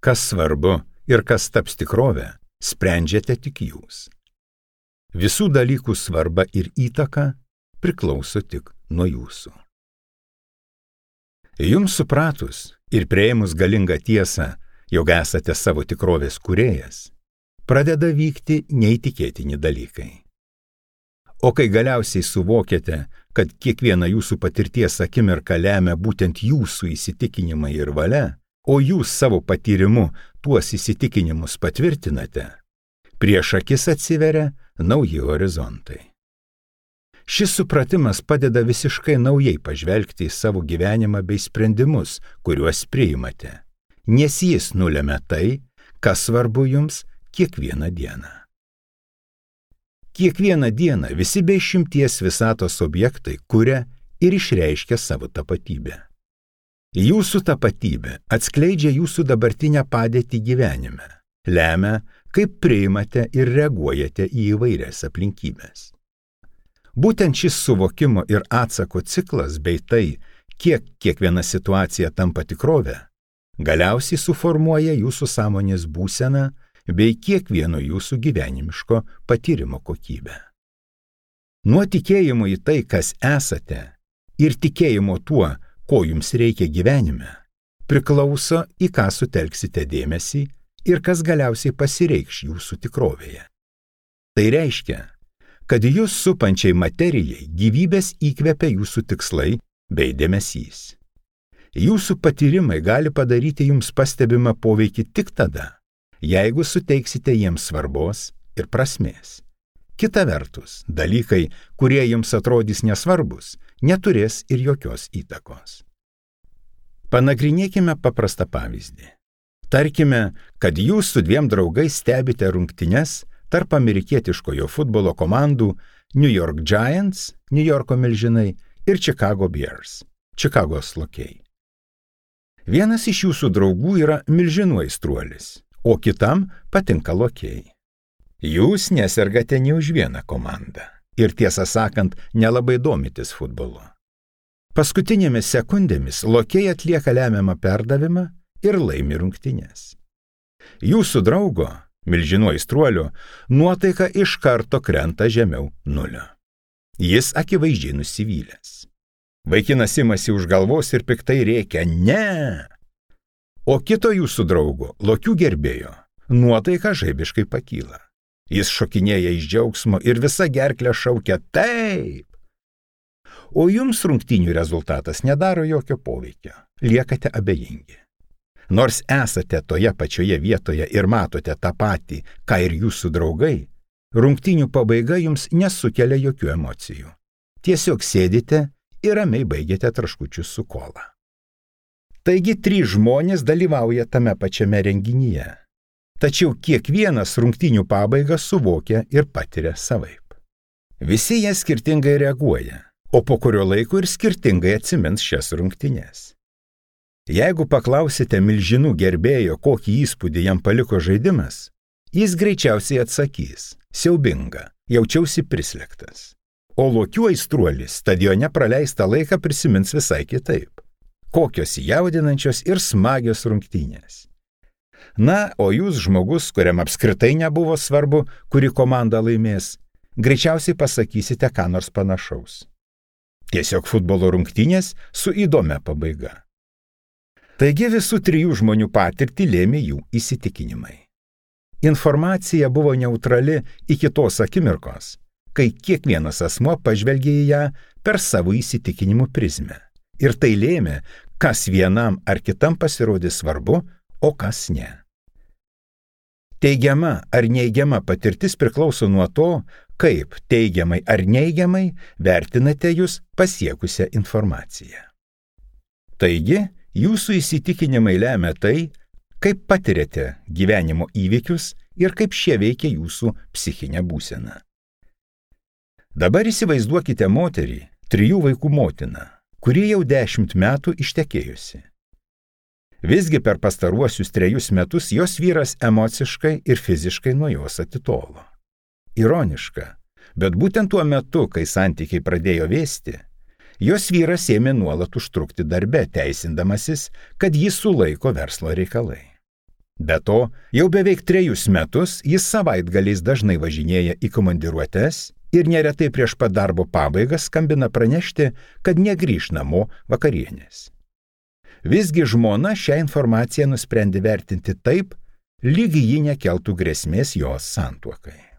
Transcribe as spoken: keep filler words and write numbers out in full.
Kas svarbu ir kas taps tikrove, sprendžiate tik jūs. Visų dalykų svarba ir įtaka priklauso tik nuo jūsų. Jums supratus ir priėmus galingą tiesą, jog esate savo tikrovės kūrėjas, pradeda vykti neįtikėtini dalykai. O kai galiausiai suvokiate, kad kiekviena jūsų patirties akimirka lemia būtent jūsų įsitikinimai ir valia, o jūs savo patyrimu tuos įsitikinimus patvirtinate, prieš akis atsiveria nauji horizontai. Šis supratimas padeda visiškai naujai pažvelgti į savo gyvenimą bei sprendimus, kuriuos priimate, nes jis nulemia tai, kas svarbu jums kiekvieną dieną. Kiekvieną dieną visi be išimties visatos objektai kuria ir išreiškia savo tapatybę. Jūsų tapatybė atskleidžia jūsų dabartinę padėtį gyvenime, lemia, kaip priimate ir reaguojate į įvairias aplinkybės. Būtent šis suvokimo ir atsako ciklas bei tai, kiek kiekviena situacija tampa tikrove, galiausiai suformuoja jūsų sąmonės būseną bei kiekvieno jūsų gyvenimiško patyrimo kokybę. Nuo tikėjimo į tai, kas esate, ir tikėjimo tuo, ko jums reikia gyvenime, priklauso, į ką sutelksite dėmesį ir kas galiausiai pasireikš jūsų tikrovėje. Tai reiškia, kad jūs supančiai materijai gyvybės įkvepia jūsų tikslai bei dėmesys. Jūsų patyrimai gali padaryti jums pastebimą poveikį tik tada, jeigu suteiksite jiems svarbos ir prasmės. Kita vertus, dalykai, kurie jums atrodys nesvarbus, neturės ir jokios įtakos. Panagrinėkime paprastą pavyzdį. Tarkime, kad jūs su dviem draugais stebite rungtynes tarp amerikietiškojo futbolo komandų New York Giants, New Yorko milžinai, ir Chicago Bears, Čikagos lokiai. Vienas iš jūsų draugų yra milžinų aistruolis, o kitam patinka lokiai. Jūs nesergate nė už vieną komandą ir, tiesą sakant, nelabai domitės futbolu. Paskutinėmis sekundėmis lokiai atlieka lemiamą perdavimą ir laimi rungtynes. Jūsų draugo, milžinų aistruolio, nuotaika iš karto krenta žemiau nulio. Jis akivaizdžiai nusivylęs. Vaikinas imasi už galvos ir piktai rėkia ne. O kito jūsų draugo, lokių gerbėjo, nuotaika žaibiškai pakyla. Jis šokinėja iš džiaugsmo ir visa gerklė šaukia taip. O jums rungtynių rezultatas nedaro jokio poveikio, liekate abejingi. Nors esate toje pačioje vietoje ir matote tą patį, ką ir jūsų draugai, rungtynių pabaiga jums nesukelia jokių emocijų. Tiesiog sėdite ir ramiai baigiate traškučius su kola. Taigi trys žmonės dalyvauja tame pačiame renginyje, tačiau kiekvienas rungtynių pabaigą suvokia ir patiria savaip. Visi jie skirtingai reaguoja, o po kurio laiko ir skirtingai atsimins šias rungtynes. Jeigu paklausite milžinų gerbėjo, kokį įspūdį jam paliko žaidimas, jis greičiausiai atsakys – siaubinga, jaučiausi prislėgtas. O lokių aistruolis stadione praleistą laiką prisimins visai kitaip. Kokios jaudinančios ir smagios rungtynės. Na, o jūs žmogus, kuriam apskritai nebuvo svarbu, kuri komanda laimės, greičiausiai pasakysite ką nors panašaus. Tiesiog futbolo rungtynės su įdomia pabaiga. Taigi visų trijų žmonių patirtį lėmė jų įsitikinimai. Informacija buvo neutrali iki tos akimirkos, kai kiekvienas asmuo pažvelgė į ją per savo įsitikinimų prizmę. Ir tai lėmė, kas vienam ar kitam pasirodė svarbu, o kas ne. Teigiama ar neigiama patirtis priklauso nuo to, kaip teigiamai ar neigiamai vertinate jūs pasiekusią informaciją. Taigi, jūsų įsitikinimai lemia tai, kaip patiriate gyvenimo įvykius ir kaip šie veikia jūsų psichinę būseną. Dabar įsivaizduokite moterį, trijų vaikų motiną, kuri jau dešimt metų ištekėjusi. Visgi per pastaruosius trejus metus jos vyras emociškai ir fiziškai nuo jos atitolo. Ironiška, bet būtent tuo metu, kai santykiai pradėjo vėsti, jos vyras ėmė nuolat užtrukti darbe, teisindamasis, kad jį sulaiko verslo reikalai. Be to, jau beveik trejus metus jis savaitgaliais dažnai važinėja į komandiruotes ir neretai prieš pat darbo pabaigą skambina pranešti, kad negrįš namo vakarienės. Visgi žmona šią informaciją nusprendė vertinti taip, lyg ji nekeltų grėsmės jos santuokai.